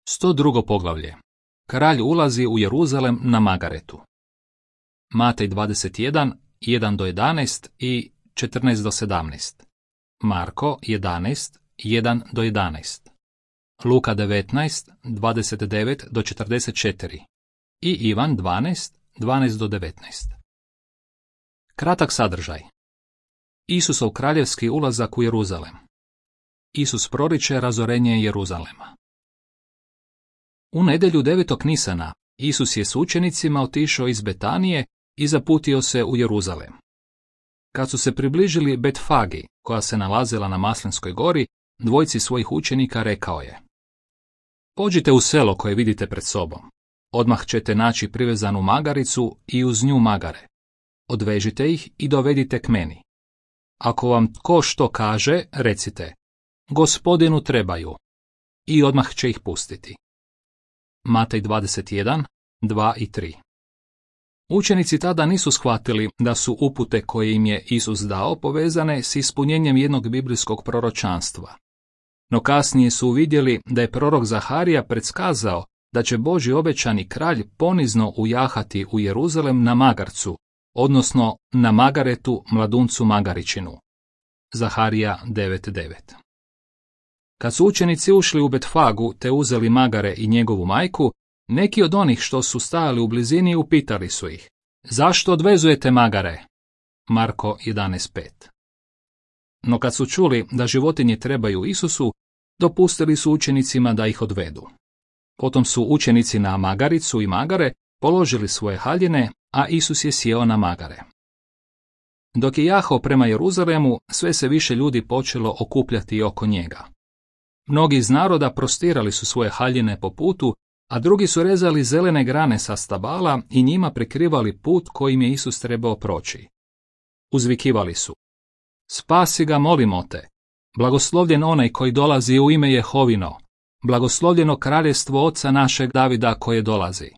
102. poglavlje. Kralj ulazi u Jeruzalem na Magaretu. Matej 21, 1-11 i 14-17. Marko 11, 1-11. Luka 19, 29-44. I Ivan 12, 12-19. Kratak sadržaj. Isusov kraljevski ulazak u Jeruzalem. Isus proriče razorenje Jeruzalema. U nedjelju 9. Nisana Isus je s učenicima otišao iz Betanije i zaputio se u Jeruzalem. Kad su se približili Betfagi, koja se nalazila na Maslinskoj gori, dvojci svojih učenika rekao je: Pođite u selo koje vidite pred sobom. Odmah ćete naći privezanu magaricu i uz nju magare. Odvežite ih i dovedite k meni. Ako vam tko što kaže, recite: Gospodinu trebaju. I odmah će ih pustiti. Matej 21, 2 i 3. Učenici tada nisu shvatili da su upute koje im je Isus dao povezane s ispunjenjem jednog biblijskog proročanstva. No kasnije su uvidjeli da je prorok Zaharija predskazao da će Božji obećani kralj ponizno ujahati u Jeruzalem na magarcu, odnosno na Magaretu, mladuncu Magaričinu. Zaharija 9.9. Kad su učenici ušli u Betfagu te uzeli Magare i njegovu majku, neki od onih što su stajali u blizini upitali su ih: Zašto odvezujete Magare? Marko 11.5. No kad su čuli da životinje trebaju Isusu, dopustili su učenicima da ih odvedu. Potom su učenici na magaricu i magare položili svoje haljine, a Isus je sjeo na magare. Dok je jahao prema Jeruzalemu, sve se više ljudi počelo okupljati oko njega. Mnogi iz naroda prostirali su svoje haljine po putu, a drugi su rezali zelene grane sa stabala i njima prekrivali put kojim je Isus trebao proći. Uzvikivali su: Spasi ga, molimo te! Blagoslovljen onaj koji dolazi u ime Jehovino! Blagoslovljeno kraljestvo oca našeg Davida koje dolazi!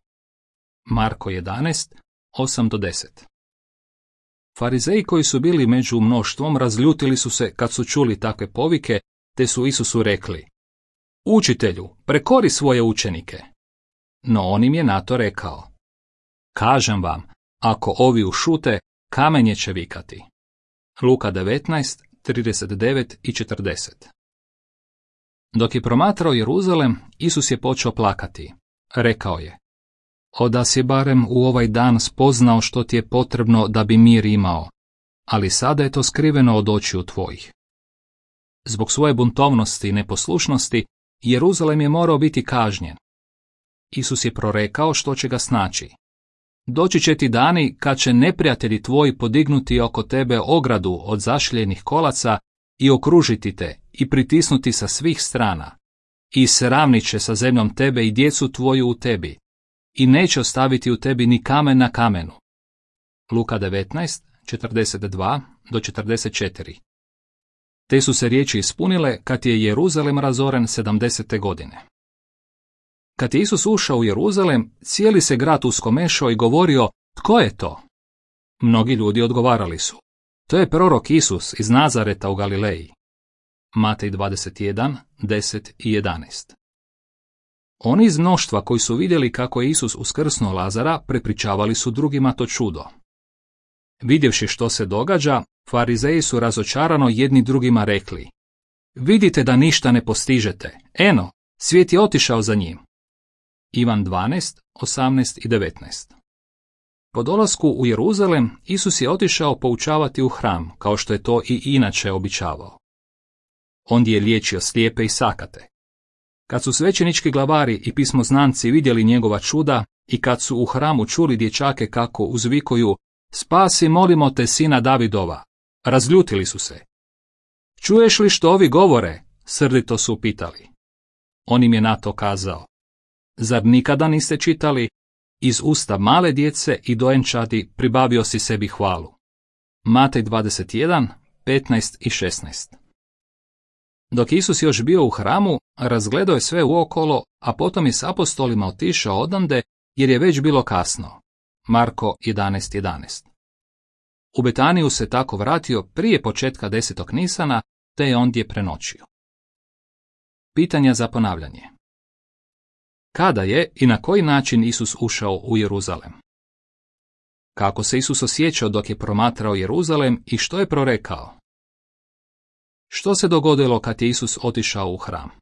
Marko 11, 8-10. Farizeji koji su bili među mnoštvom razljutili su se kad su čuli takve povike, te su Isusu rekli: Učitelju, prekori svoje učenike. No on im je na to rekao: Kažem vam, ako ovi ušute, kamenje će vikati. Luka 19, 39 i 40. Dok je promatrao Jeruzalem, Isus je počeo plakati. Rekao je: Da si barem u ovaj dan spoznao što ti je potrebno da bi mir imao, ali sada je to skriveno od očiju tvojih. Zbog svoje buntovnosti i neposlušnosti, Jeruzalem je morao biti kažnjen. Isus je prorekao što će ga snaći. Doći će ti dani kad će neprijatelji tvoji podignuti oko tebe ogradu od zašljenih kolaca i okružiti te i pritisnuti sa svih strana. I sravnit će sa zemljom tebe i djecu tvoju u tebi. I neće ostaviti u tebi ni kamen na kamenu. Luka 19, 42-44. Te su se riječi ispunile kad je Jeruzalem razoren 70. godine. Kad je Isus ušao u Jeruzalem, cijeli se grad uskomešao i govorio: Tko je to? Mnogi ljudi odgovarali su: To je prorok Isus iz Nazareta u Galileji. Matej 21, 10 i 11. Oni iz mnoštva koji su vidjeli kako je Isus uskrsnuo Lazara, prepričavali su drugima to čudo. Vidjevši što se događa, Farizeji su razočarano jedni drugima rekli: Vidite da ništa ne postižete. Eno, svijet je otišao za njim. Ivan 12, 18 i 19. Po dolasku u Jeruzalem, Isus je otišao poučavati u hram, kao što je to i inače običavao. Ondje je liječio slijepe i sakate. Kad su svećenički glavari i pismoznanci vidjeli njegova čuda i kad su u hramu čuli dječake kako uzvikuju: Spasi, molimo te, sina Davidova, razljutili su se. Čuješ li što ovi govore? Srdito su upitali. On im je na to kazao: Zar nikada niste čitali: Iz usta male djece i dojenčadi pribavio si sebi hvalu? Matej 21, 15 i 16. Dok Isus još bio u hramu, razgledao je sve uokolo, a potom je s apostolima otišao odande jer je već bilo kasno. Marko 11.11. U Betaniju se tako vratio prije početka 10. Nisana, te je ondje prenoćio. Pitanja za ponavljanje. Kada je i na koji način Isus ušao u Jeruzalem? Kako se Isus osjećao dok je promatrao Jeruzalem i što je prorekao? Što se dogodilo kad je Isus otišao u hram?